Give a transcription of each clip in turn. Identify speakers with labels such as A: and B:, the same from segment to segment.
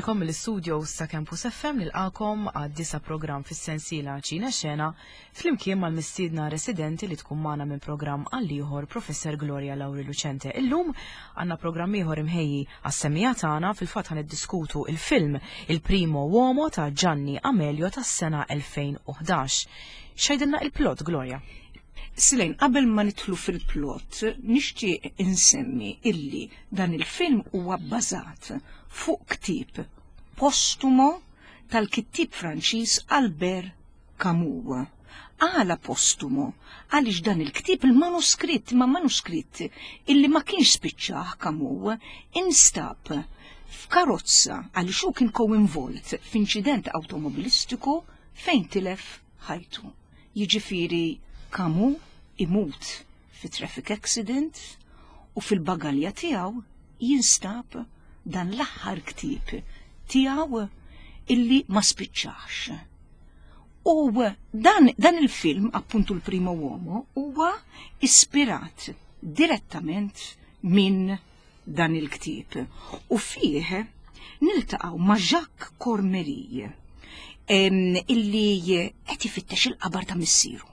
A: Insellmilkom mill-istudios ta' Campus FM nilqakom għad-disa programm fis-sensiela Ċina Xena flimkien mal-mistiedna residenti li tkun magħna minn programm għal ieħor Professor Gloria Lauri Lucente. Illum għandna programm ieħor imħejji għas-semija tagħna fil-fatt ħan iddiskutu il-film Il Primo Uomo ta' Gianni Amelio tas-sena 2011. X'għidilna il-plot, Gloria?
B: Silejn, qabel ma nidħlu fil-plot, nixtieq insemmi illi dan il-film huwa bbażat fuq ktieb postumo tal-kittieb Franċiż Albert Camus. Għala postumo? Għaliex dan il-ktieb il-manuskritt, ma manuskritt illi ma kienx spiċċah Camus, instab f'karozza għaliex hu kien co-involt f'inċident awtomobilistiku fejn tilef ħajtu. Jiġifieri Camus imut fi traffic accident u fil-bagalja tiegħu jinstab dan l-aħħar ktieb tiegħu illi ma spiċċax. U dan, dan il-film, appuntu l-Primo Uomo, huwa ispirat direttament minn dan il-ktieb u fih niltaqgħu ma' Jacques Cormery illi qed ifittex il-qabar ta' missieru.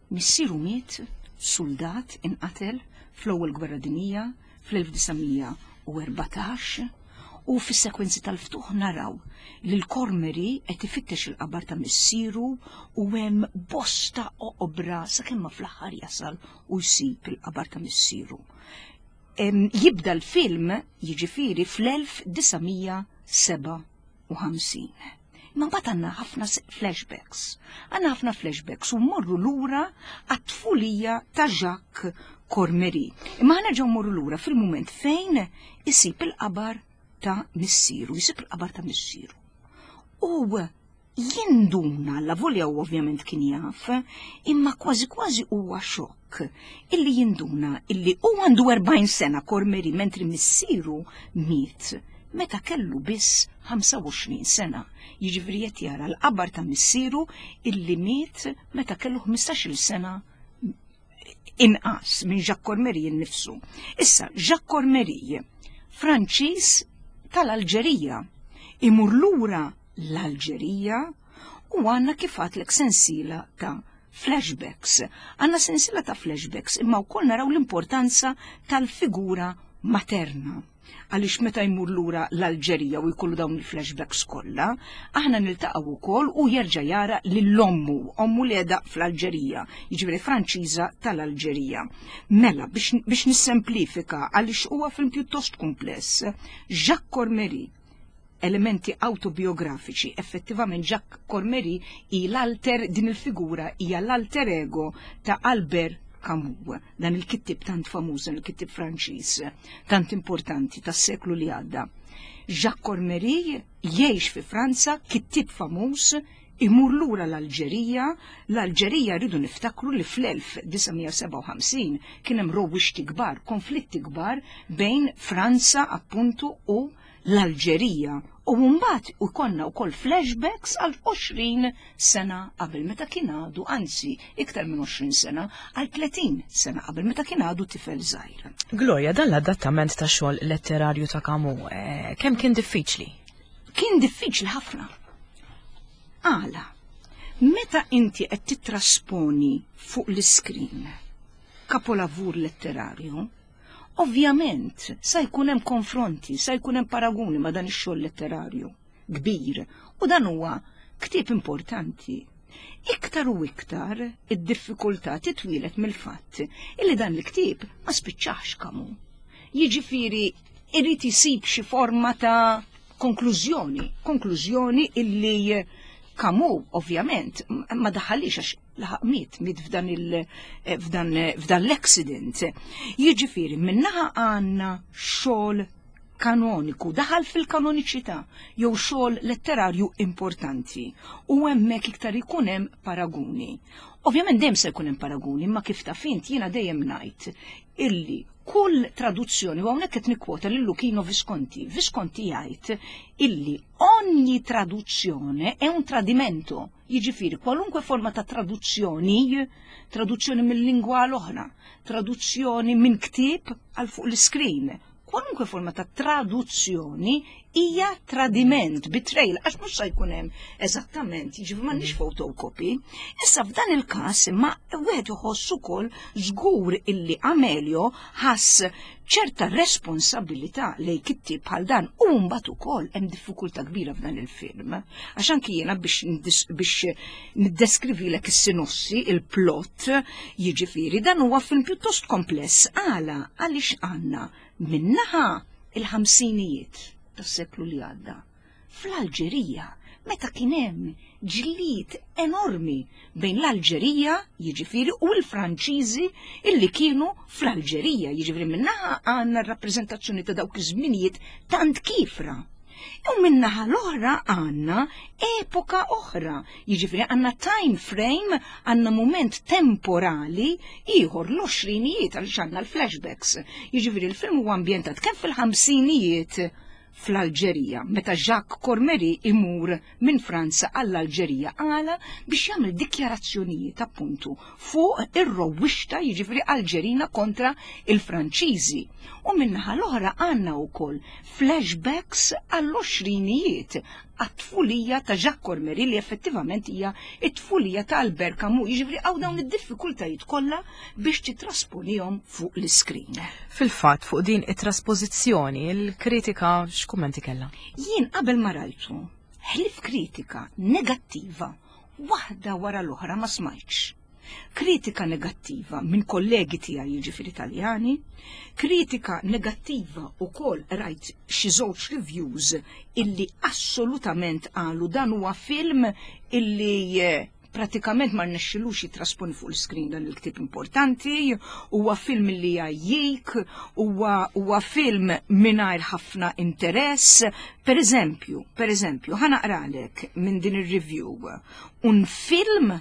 B: Missieru miet suldat inqatel fl-Ewwel Gwerra Dinjija fl-1914 u fis-sekwenzi tal-ftuħ naraw li l-Cormery qed ifittex il-qabar ta' missieru u hemm bosta oqbra sakemm ma fl-aħħar jasal u jsib il-qabar ta' missieru. Jibda l-film jiġifieri fl-1957. Imma mbagħad għandna ħafna flashbacks. Għandna ħafna flashbacks u mmorru lura għat-tfulija ta' Jacques Cormery. Imma ħa nerġgħu mmorru lura fil-mument fejn isib il-qabar ta' missieru, jisib il-qabar ta' missieru. U jinduna, allavolja hu ovvjament kien jaf, imma kważi kważi huwa xokk illi jinduna illi hu għandu 40 sena Cormery mentri missieru miet meta kellu biss 25 sena. Jiġifieri qed jara l-qabar ta' missieru illi miet meta kellu 15-il sena inqas minn Jacques Cormery innifsu. Issa, Jacques Cormery, Franċiż tal-Alġerija, imur lura l-Alġerija u għandna kif għatlek sensiela ta' flashbacks. Għandna sensiela ta' flashbacks imma wkoll naraw l-importanza tal-figura materna. Għaliex meta jmur lura l-Alġerija u jkollu dawn il-flashbacks kollha, aħna niltaqgħu wkoll u jerġa' jara lil ommu, ommu li qiegħda fl-Alġerija, jiġifieri Franċiża tal-Alġerija. Mela biex, biex nissemplifika għaliex huwa film pjuttost kumpless, Jacques Cormery elementi awtobiografiċi. Effettivament Jacques Cormery hi l-alter din il-figura hija l-alter ego ta' Albert Camus, dan il-kittib tant famuż, dan il-kittib Franċiż, tant importanti tas-seklu li għadda. Jacques Cormery jgħix fi Franza, kittib famuż, imur lura l-Alġerija, l-Alġerija rridu niftakru li fl-1957 kien hemm rowwixti kbar, konflitti kbar bejn Franza appuntu u l-Alġerija u mbagħad ikollna wkoll flashbacks għal 20 sena qabel meta kien għadu, anzi iktar minn 20 sena, għal 30 sena qabel meta kien għadu tifel żgħir.
A: Gloria, dan l-adattament ta' xogħol letterarju ta' Camus, eh, kemm kien diffiċli?
B: Kien diffiċli ħafna. Għala, meta inti qed titrasponi fuq l-iskrin kapolavur letterarju, Ovvjament, sa jkun hemm konfronti, sa jkun hemm paraguni ma' dan ix-xogħol letterarju kbir u dan huwa ktieb importanti. Iktar u iktar id-diffikultà titwielet mill-fatt illi dan il-ktieb ma spiċċax Camus. Jiġifieri irid isib xi forma ta' konklużjoni, konklużjoni illi Camus ovvjament ma daħalix għax laħaq miet, miet f'dan il eh, f'dan eh, f'dan l-accident. Jiġifieri minnaħa għandna xogħol kanoniku, daħal fil-kanoniċità jew xogħol letterarju importanti u hemmhekk iktar ikun hemm paraguni. Ovvjament dejjem se jkun hemm paraguni, imma kif taf int jiena dejjem ngħid illi kull traduzzjoni, u hawnhekk qed nikkwota lil Luchino Visconti, Visconti jgħid illi ogni traduzione è un tradimento. Jiġifieri kwalunkwe forma ta' traduzzjoni, traduzzjoni mill-lingwa għal oħra, traduzzjoni minn ktieb għal fuq l-iskrin, Kwalunkwe forma ta' traduzzjoni hija tradiment, betrayal, għax mhux se jkun hemm eżattament, jiġifieri m'għandniex photocopy. Issa f'dan il-każ imma wieħed iħoss ukoll żgur illi Amelio ħass ċerta responsabilità lejn kittieb bħal dan u mbagħad ukoll hemm diffikultà kbira f'dan il-film. Għax anki jiena biex biex niddeskrivilek is-sinossi, il-plot, jiġifieri dan huwa film pjuttost kompless għala għaliex għandna minnaħa il-ħamsinijiet tas-seklu li għadda fl-Alġerija meta kien hemm ġlied enormi bejn l-Alġerija, jiġifieri, u l-Franċiżi illi kienu fl-Alġerija, jiġifieri minnaħa għandna r-rappreżentazzjoni ta' dawk iż-żminijiet tant kifra. U minnaħa l-oħra għandna epoka oħra, jiġifieri għandna time frame, għandna mument temporali ieħor l-għoxrinijiet għaliex għandna l-flashbacks. Jiġifieri l-film huwa ambjentat kemm fil-ħamsinijiet fl-Alġerija, meta Jacques Cormery imur minn Franza għall-Alġerija għala biex jagħmel dikjarazzjonijiet appuntu fuq ir-rowwixta jiġifieri Alġerina kontra il-Franċiżi. U min-naħa l-oħra għandna wkoll flashbacks għall-għoxrinijiet għat-tfulija ta' Jacques Cormery li effettivament hija t-tfulija ta' Albert Camus, jiġifieri hawn dawn id-diffikultajiet kollha biex titrasponihom fuq l-iskrin.
A: Fil-fatt, fuq din it-traspożizzjoni, il-kritika x'kummenti kellha?
B: Jien qabel ma rajtu, ħlief kritika negattiva waħda wara l-oħra ma smajtx. Kritika negattiva minn kollegi tiegħi jiġifieri Taljani, kritika negattiva wkoll rajt xi żewġ reviews illi assolutament qalu dan huwa film illi eh, pratikament ma rnexxilux jitrasponi fuq l-screen dan il-ktieb importanti, huwa film li jgħajjik, huwa huwa film mingħajr ħafna interess. Per eżempju, per eżempju, ħa naqralek minn din ir-review. Un film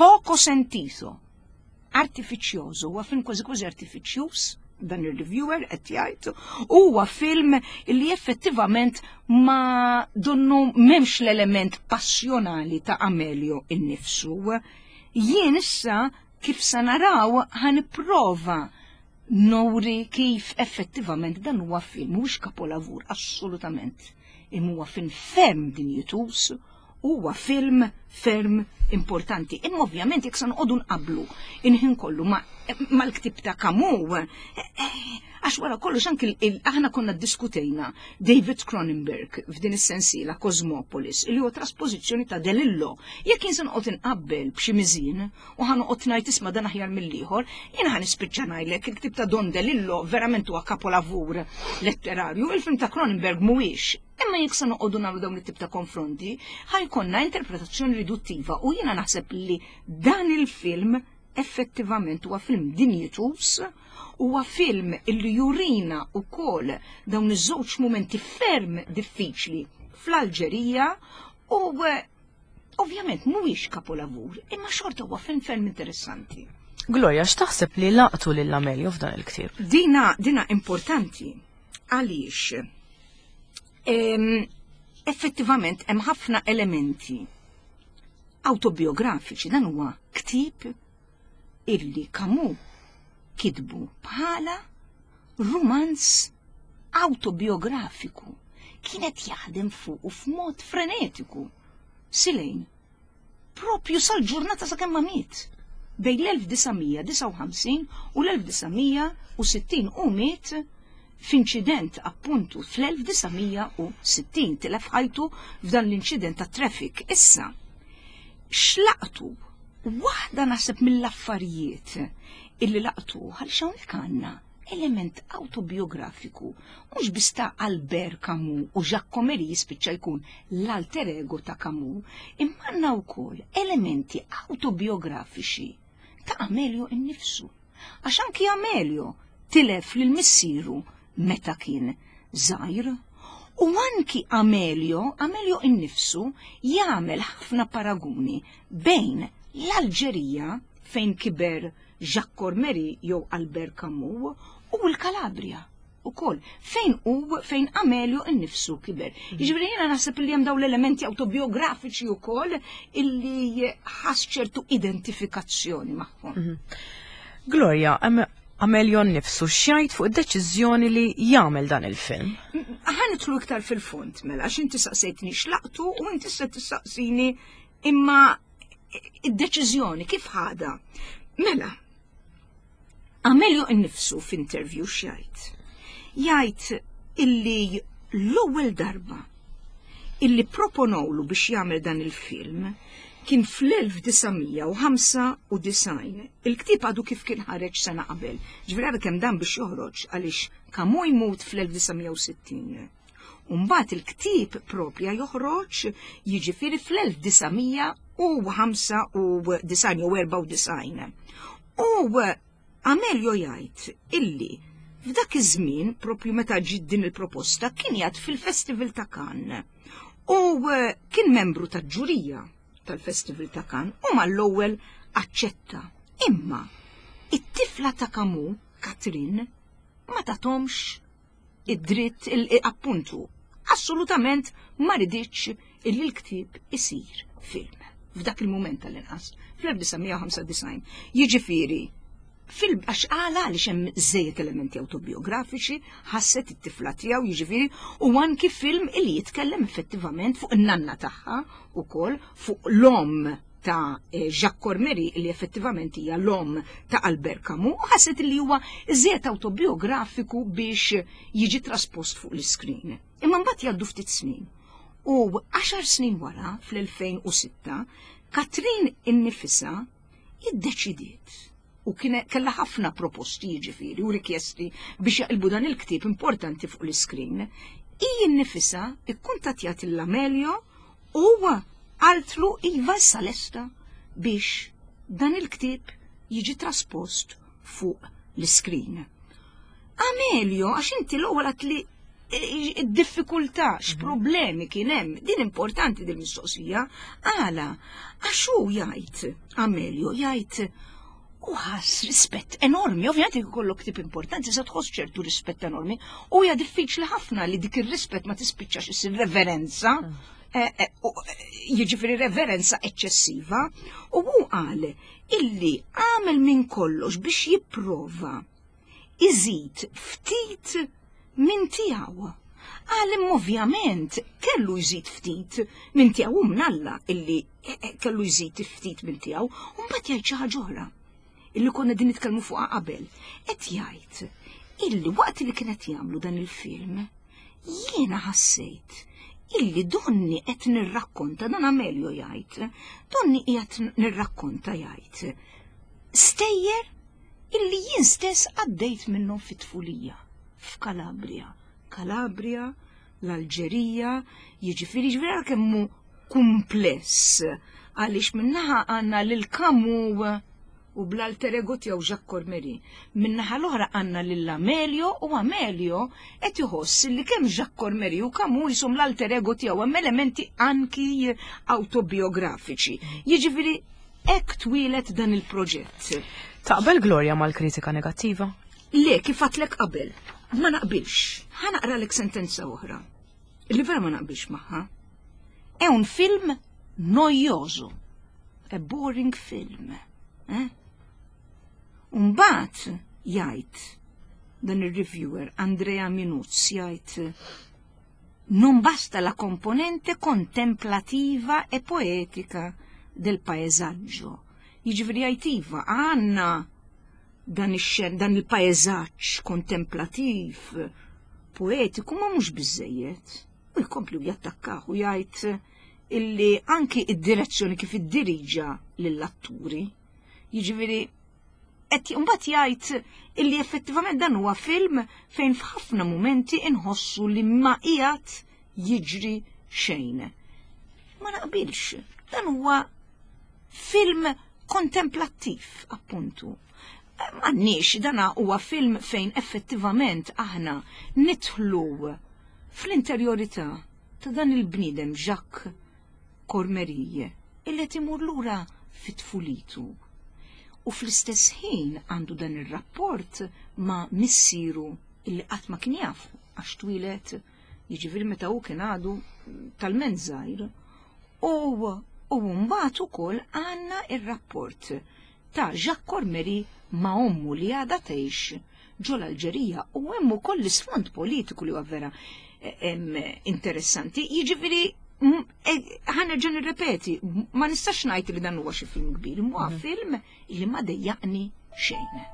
B: poco sentito, artificioso, huwa film kważi kważi artifiċjuż, dan ir-reviewer qed jgħid, huwa film li effettivament ma donnu m'hemmx l-element passjonali ta' Amelio innifsu. Jien issa kif se naraw ħa nipprova nuri kif effettivament dan huwa film mhux kapolavur assolutament. Imma huwa film ferm dinjituż Huwa film ferm importanti. Imma ovvjament jekk se noqogħdu nqabblu inħin kollu mal-ktieb ta' Camus, eh, eh, għax wara kollox anki aħna konna ddiskutejna David Cronenberg f'din is-sensiela Cosmopolis li huwa trasposizzjoni ta' DeLillo. Jekk jien se noqgħod inqabbel b'xi miżien u ħa noqgħod ngħid isma' dan aħjar mill-ieħor, jien ħa nispiċċa ngħidlek il-ktieb ta' Don DeLillo verament huwa kapolavur letterarju, il-film ta' Cronenberg mhuwiex. Imma jekk se noqogħdu nagħmlu dawn it-tip ta' konfronti, ħajkonna interpretazzjoni riduttiva u jiena naħseb li dan il-film effettivament huwa film dinjituż, huwa film illi jurina wkoll dawn iż-żewġ mumenti ferm diffiċli fl-Alġerija u eh, ovvjament mhuwiex kapolavur, imma xorta huwa film ferm interessanti.
A: Gloria, x'taħseb li laqtu lil Amelio f'dan il-ktieb?
B: Dina, dina importanti għaliex Effettivament hemm ħafna elementi autobiografiċi dan huwa ktieb illi Camus kitbu bħala rumanz autobiografiku. Kienet jaħdem fuq u f'mod frenetiku. Silejn propju sal-ġurnata sakemm ma miet. Bejn l-1959 u l-1960 u miet f'inċident appuntu fl-1960 tilef ħajtu f'dan l-inċident ta' traffic. Issa, x'laqtu? Waħda naħseb mill-affarijiet illi laqtu għaliex hawnhekk għandna element autobiografiku mhux biss ta' Albert Camus u Jacques Cormery jispiċċa jkun l-alter ego ta' Camus, imma għandna wkoll elementi autobiografiċi ta' Amelio innifsu. Għax anki Amelio tilef lil missieru meta kien żgħir. U anki Amelio, Amelio innifsu jagħmel ħafna paraguni bejn l-Alġerija fejn kiber Jacques Cormery jew Albert Camus u l-Kalabria ukoll fejn u fejn Amelio innifsu kiber. Mm. Jiġifieri jiena naħseb li hemm dawn l-elementi autobiografiċi wkoll illi ħass ċertu identifikazzjoni magħhom.
A: Mhm. Gloria, hemm Amelio nnifsu x'jgħid fuq id-deċiżjoni li jagħmel dan il-film?
B: Ħa nidħlu iktar fil-fond mela, għax inti saqsejtni x'laqtu u inti se tistaqsini imma id-deċiżjoni kif ħadha. Mela, Amelio nnifsu f'interview x'jgħid? Jgħid illi l-ewwel darba illi proponowlu biex jagħmel dan il-film kien fl-1995. Il-ktieb għadu kif kien ħareġ sena qabel. Ġifieri għadu kemm dan biex joħroġ għaliex Camus jmut fl-1960. Umbagħad il-ktieb propja joħroġ jiġifieri fl-1995 jew 94. U Amelio jgħid illi f'dak iż-żmien, propju meta ġiet din il-proposta, kien jgħid fil-Festival ta' Cannes u eh, kien membru ta' ġurija tal-Festival ta' Cannes u mal-ewwel aċċetta. Imma it-tifla ta' Camus, Katrin, ma tatomx id-dritt appuntu assolutament ma riditx illi l-ktieb isir film. F'dak il-mument tal-inqas, fl-1995. Jiġifieri, fil għax għala għaliex hemm żejjed elementi autobiografiċi, ħasset it-tifla tiegħu jiġifieri u anki film illi jitkellem effettivament fuq in-nanna tagħha ukoll fuq l-omm ta' eh, Jacques Cormery li effettivament hija l-omm ta' Albert Camus u ħasset li huwa iżjed autobiografiku biex jiġi traspost fuq l-iskrin. Imma mbagħad jgħaddu ftit snin. U 10 snin wara, fl-2006, Katrin innifisha iddeċidiet u kien kellha ħafna proposti jiġifieri u rikjesti biex jaqilbu dan il-ktieb importanti fuq l-iskrin. Hi nnifisha ikkuntattjat lil Amelio u qaltlu iva issa lesta biex dan il-ktieb jiġi traspost fuq l-iskrin. Amelio, għax inti l-ewwel għat li id-diffikultà, x'problemi kien hemm, din importanti din mistoqsija, għala, għax hu jgħid, Amelio jgħid, u ħass rispett enormi, ovvjament jekk ikollok tip importanti se tħoss ċertu rispett enormi, u hija diffiċli ħafna li dik ir-rispett ma tispiċċax issir reverenza, mm. eh, eh, eh, jiġifieri reverenza eċċessiva, u hu qal illi għamel minn kollox biex jipprova iżid ftit minn tiegħu. Qal imma ovvjament kellu jżid ftit minn tiegħu u mnalla illi eh, eh, kellu jżid ftit minn tiegħu u mbagħad jgħid xi ħaġa oħra illi konna din nitkellmu fuqha qabel. Qed jgħid illi waqt li kienet jagħmlu dan il-film jiena ħassejt illi donni qed nirrakkonta dan Amelio jgħid, donni qiegħed nirrakkonta jgħid. Stejjer illi jien stess għaddejt minnhom fit-tfulija, f'Kalabria. Kalabria, l-Alġerija, jiġifieri ġifieri ara kemm hu kumpless għaliex minnaħa għandna lil Camus u bl-alter ego tiegħu Jacques Cormery. Minnaħa l-oħra għandna lil Amelio u Amelio qed iħoss li kemm Jacques Cormery u Camus jisom l-alter ego tiegħu hemm elementi anki autobiografiċi. Jiġifieri Hekk twieled dan il-proġett.
A: Taqbel Gloria mal-kritika negattiva?
B: Le, kif għatlek qabel, ma naqbilx. Ħa naqralek sentenza oħra. Li vera ma naqbilx magħha. È un film noioso. A boring film. Eh? Umbat jgħid dan ir-reviewer Andrea Minuz jgħid Non basta la componente contemplativa e poetica del paesaggio. Jiġifieri jgħid iva, għandna dan ix-xen, dan il-paesaġġ kontemplattiv, poetiku, ma mhux biżejjed. U jkompli u jattakkah u jgħid illi anki id-direzzjoni kif iddiriġa lill-atturi. Jiġifieri Qed imbagħad jgħid illi effettivament dan huwa film fejn f'ħafna mumenti inħossu li ma qiegħed jiġri xejn. Ma naqbilx, dan huwa film kontemplattiv, appuntu. M'għandniex, dan huwa film fejn effettivament aħna nidħlu fl-interjorità ta' dan il-bniedem Jacques Cormerie illi qed imur lura fi tfulitu u fl-istess ħin għandu dan ir-rapport ma' missieru illi qatt ma kien jafu għax twieled jiġifieri meta hu kien għadu talment żgħir u u mbagħad ukoll għandna ir-rapport. ta' Jacques Cormery ma' ommu li għadha tgħix ġol-Alġerija u hemm ukoll l-isfond politiku li huwa vera eh, interessanti. Jiġifieri eh, ħa nerġa' nirrepeti, ma nistax ngħid li dan huwa xi film kbir, huwa mhm. film li ma dejjaqni xejn.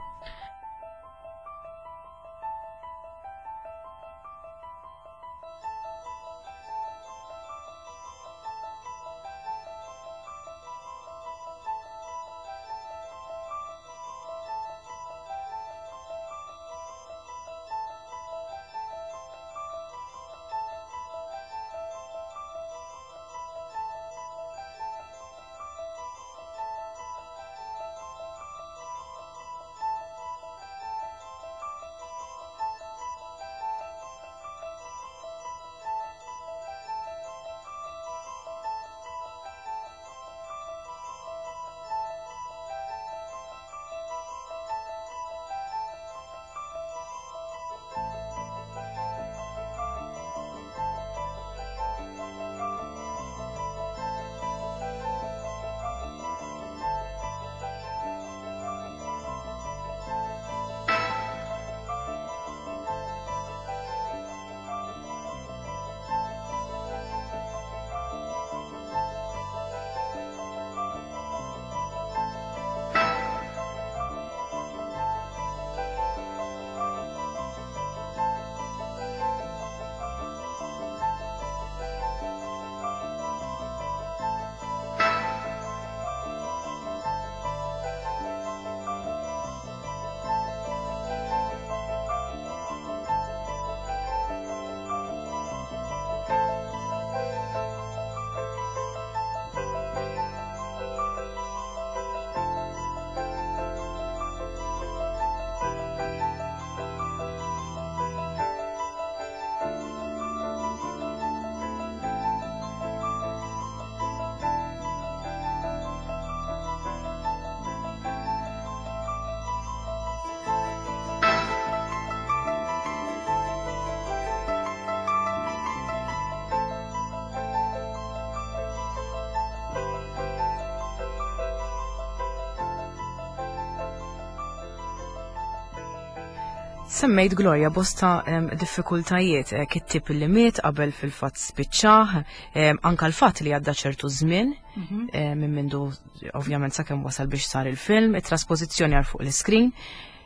A: Semmejt Gloria bosta diffikultajiet eh, kittib li miet qabel fil-fatt spiċċaħ, anka l-fatt li għadda ċertu żmien mhm. eh, minn mindu ovvjament sakemm wasal biex sar il-film, it-trasposizzjoni għal fuq l-iskrin.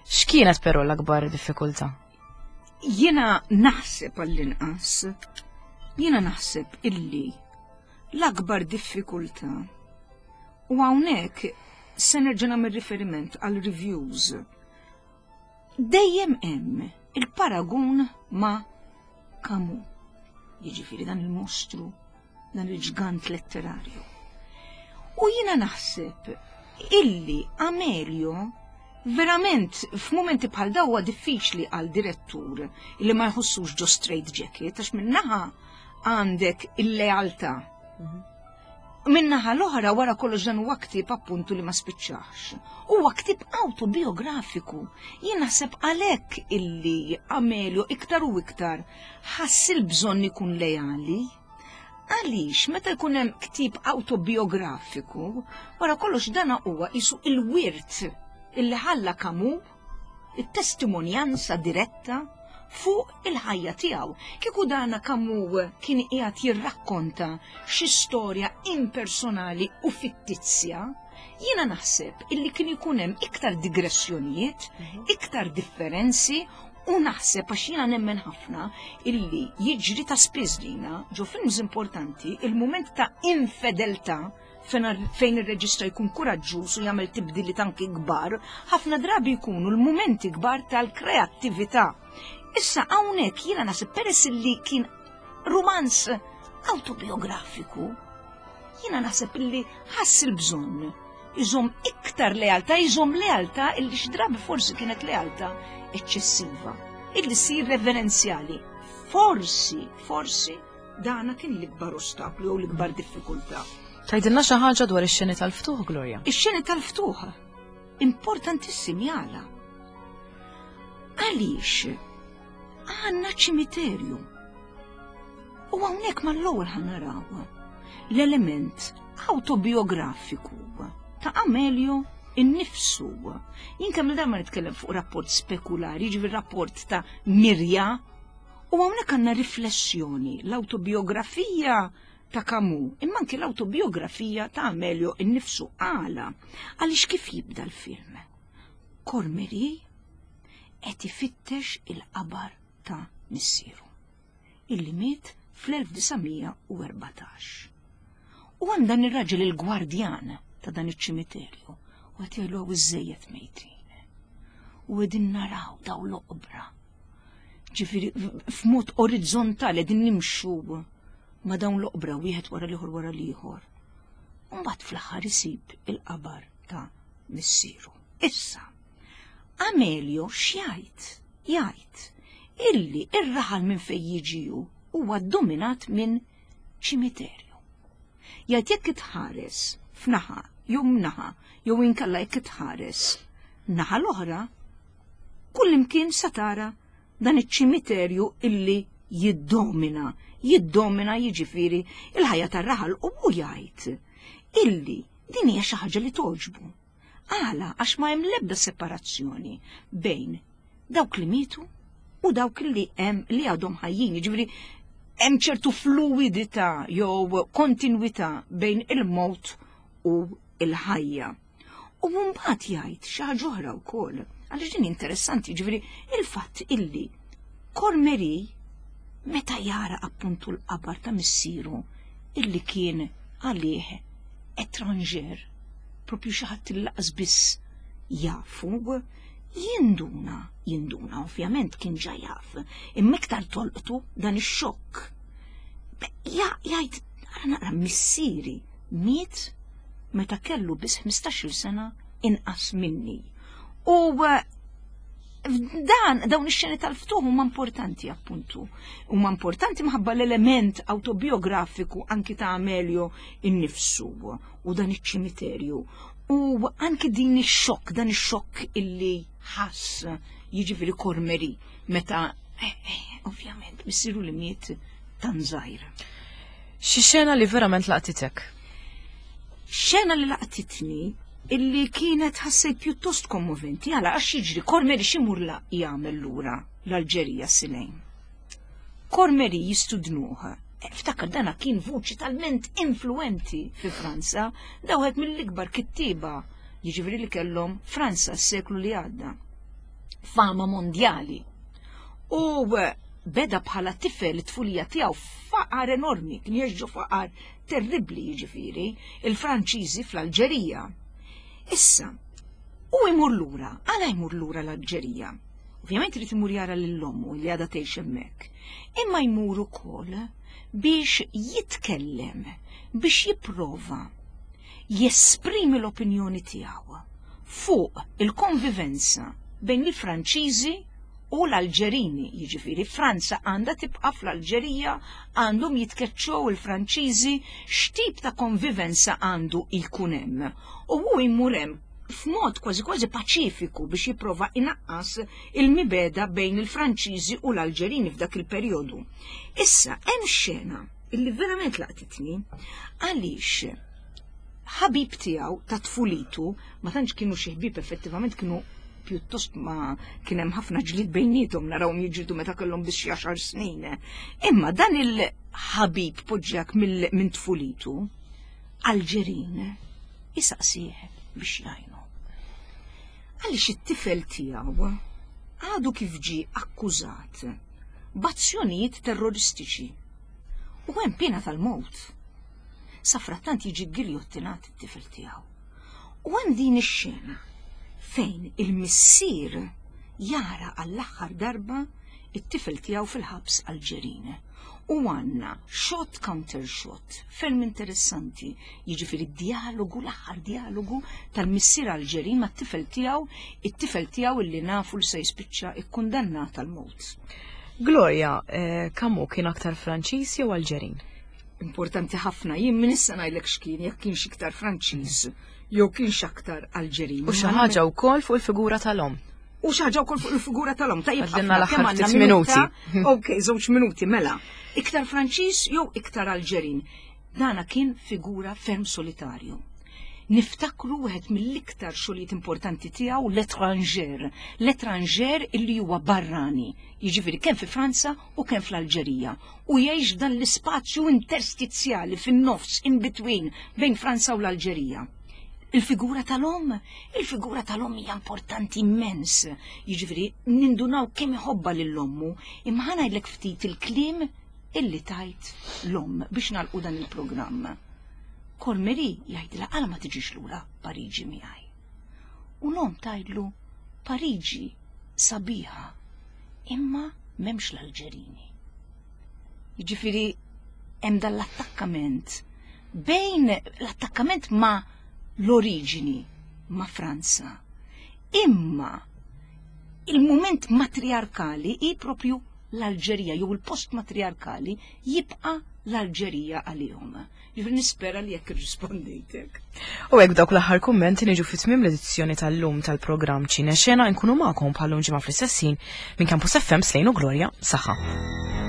A: X'kienet però l-akbar diffikultà?
B: Jiena naħseb għall-inqas, jiena naħseb illi l-akbar diffikultà u hawnhekk se nerġa' nagħmel riferiment għal reviews. Dejjem hemm il-paragun ma' Camus, jiġifieri dan il-mostru dan il-ġgant letterarju. U jiena naħseb illi Amelio verament f'mumenti bħal daw huwa diffiċli għal direttur illi ma jħossux ġo straight jacket għax minnaħa għandek il-lealtà. Mhm. Minnaħa l-oħra wara kollox dan huwa ktieb appuntu li ma spiċċax. Huwa ktieb autobiografiku. Jien naħseb għalhekk illi Amelio iktar u iktar ħass il-bżonn ikun leali. Għaliex meta jkun hemm ktieb awtobiografiku, wara kollox dana huwa qisu il-wirt illi ħalla Camus, it-testimonjanza diretta fuq il-ħajja tiegħu. Kieku dana Camus kien qiegħed jirrakkonta xi storja impersonali u fittizja, jiena naħseb illi kien ikun hemm iktar digressjonijiet, mhm. iktar differenzi U naħseb għax jiena nemmen ħafna illi jiġri ta' spiss dina ġo films importanti il-mument ta' infedeltà fejn ir-reġista jkun kuraġġuż u jagħmel tibdiliet anki kbar, ħafna drabi jkunu l-mumenti kbar tal-kreattività. Issa hawnhekk jiena naħseb peress li kien rumanz autobiografiku, jiena naħseb illi ħass il-bżonn iżomm iktar lealtà, iżomm lealtà illi xi drabi forsi kienet lealtà eċċessiva, illi ssir reverenzjali. Forsi, forsi dana kien l-ikbar ostaklu jew l-ikbar diffikultà.
A: Tgħidilna xi ħaġa dwar ix-xeni tal-ftuħ, Gloria?
B: Ix-xeni tal-ftuħ importantissimi għala. Għaliex għandna ċimiterju. U hawnhekk mal-ewwel ħanaraw l-element awtobiografiku ta' Amelio innifsu. Jien kemm darba nitkellem fuq rapport spekulari, jiġifieri rapport ta' mirja, u hawnhekk għandna riflessjoni, l-awtobiografija ta' Camus, imma anki l-awtobiografija ta' Amelio innifsu għala. Għaliex kif jibda l-film? Cormery qed ifittex il-qabar ta' missieru, illi miet fl-1914. U hemm dan ir-raġel il-gwardjan ta' dan iċ-ċimiterju u qed jgħidlu hawn iżżejjed mejtin. U qegħdin naraw daw l-oqbra. Ġifieri f'mod orizzontali qegħdin nimxu ma' dawn l-oqbra wieħed wara l-ieħor wara l-ieħor. U mbagħad fl-aħħar isib il-qabar ta' missieru. Issa, Amelio x'jgħid? Jgħid illi ir-raħal minn fejn jiġi hu huwa ddominat minn ċimiterju. Jgħid jekk itħares f'naħa jew mnaħa jew inkella jekk itħares naħa l-oħra, kullimkien sa tara dan iċ-ċimiterju illi jiddomina, jiddomina jiġifieri il-ħajja tar-raħal u hu jgħid illi din hija xi ħaġa li togħġbu. Għala għax ma hemm l-ebda separazzjoni bejn dawk li mietu u dawk li hemm li għadhom ħajjin, jiġifieri hemm ċertu fluwidità jew kontinwità bejn il-mewt u l-ħajja. U mbagħad jgħid xi ħaġa oħra wkoll, għaliex din interessanti, jiġifieri il-fatt illi Cormery meta jara appuntu l-qabar ta' missieru illi kien għalih étranger, propju xi ħadd li laqas biss jafu, jinduna, jinduna ovvjament kien ġa jaf, imma iktar tolqtu dan ix-xokk. Jgħid, ara naqra missieri miet meta kellu biss 15-il sena inqas minni. U eh, dan dawn ix-xeni tal-ftuħ huma importanti appuntu. Huma importanti minħabba l-element autobiografiku anki ta' Amelio innifsu u dan iċ-ċimiterju. U anki din ix-xokk, dan ix-xokk illi ħass jiġifieri Cormery meta eh, eh, ovvjament missieru li miet tan żgħir.
A: Xi xena li verament laqtitek?
B: Xena li laqtitni illi kienet ħassejt pjuttost kommoventi għala għax jiġri Cormery x'imur la jagħmel lura l-Alġerija s-Silejn. Cormery jistudnuh. Eh, ftakar dana kien vuċi talment influenti fi Franza, da wieħed mill-ikbar kittieba jiġifieri li kellhom Franza s-seklu li għadda. Fama mondjali. U eh, beda bħala tifel it-tfulija tiegħu faqar enormi, kien jgħix faqar terribbli jiġifieri, il-Franċiżi fl-Alġerija. Issa, u jmur lura, għala jmur lura l-Alġerija? Ovvjament irid imur jara lil ommu li għadha tgħix hemmhekk. Imma jmur ukoll biex jitkellem, biex jipprova jesprimi l-opinjoni tiegħu fuq il-konvivenza bejn il-Franċiżi u l-Alġerini, jiġifieri Franza għandha tibqa' fl-Alġerija, għandhom jitkeċċew il-Franċiżi, x'tip ta' konvivenza għandu jkun hemm. U hu jmur hemm f'mod kważi kważi paċifiku biex jipprova inaqqas il-mibegħda bejn il-Franċiżi u l-Alġerini f'dak il-perjodu. Issa hemm xena illi verament laqtitni għaliex ħabib tiegħu ta' tfulitu, ma tantx kienu xi ħbieb effettivament kienu pjuttost ma kien hemm ħafna ġlied bejniethom narawhom jiġġieldu meta kellhom biss xi għaxar snin. Imma dan il-ħabib poġġjak minn tfulitu, Alġerin, isaqsih biex jgħinu. Għaliex it-tifel tiegħu għadu kif ġie akkużat b'azzjonijiet terroristiċi u hemm piena tal-mewt. Safrattant jiġi ggiljottinat it-tifel tiegħu. U hemm din ix-xena fejn il-missier jara għall-aħħar darba it-tifel tiegħu fil-ħabs Alġerin. U għandna shot counter shot ferm interessanti, jiġifieri d-dialogu, l-aħħar dialogu tal-missier Alġerin mat-tifel tiegħu, it-tifel tiegħu illi nafu li se jispiċċa ikkundannat għall-mewt.
A: Gloria, eh, Camus kien aktar Franċiż jew Alġerin?
B: Importanti ħafna, jien minn issa ngħidlek x'kien, jekk kienx iktar Franċiż jew kienx aktar Alġerin.
A: U xi ħaġa wkoll fuq il-figura tal-omm.
B: U xi ħaġa wkoll fuq il-figura tal-omm.
A: Tajjeb, Għaddilna l-aħħar ftit minuti.
B: Ok, żewġ minuti, mela. Iktar Franċiż jew iktar Alġerin. Dana kien figura ferm solitarju. Niftakru wieħed mill-iktar xogħlijiet importanti tiegħu L'Étranger. L'Étranger illi huwa barrani, jiġifieri kemm fi Franza u kemm fl-Alġerija. U jgħix dan l-ispazju interstizjali fin-nofs in between bejn Franza u l-Alġerija. Il-figura tal-omm, il-figura tal-omm hija importanti immens. Jiġifieri nindunaw kemm iħobbha lil ommu, imma ħa ngħidlek ftit il-kliem illi tajt l-omm biex nagħlqu dan il-programm. Cormery jgħidilha għala ma tiġix lura Pariġi miegħi. U l-omm tgħidlu Pariġi sabiħa, imma m'hemmx l-Alġerini. Jiġifieri hemm dan l-attakkament bejn l-attakkament ma' l-oriġini ma' Franza. Imma il-mument matriarkali hi propju l-Alġerija jew il-post matriarkali jibqa' l-Alġerija għalihom. Ġifieri nispera li jekk irrispondejtek.
A: U hekk dawk l-aħħar kummenti niġu fi tmiem l-edizzjoni tal-lum tal-programm Ċine Xena nkunu magħkom bħal-lum ġimgħa fl-istess ħin minn Campus FM Slejn u Glorja Saħħa.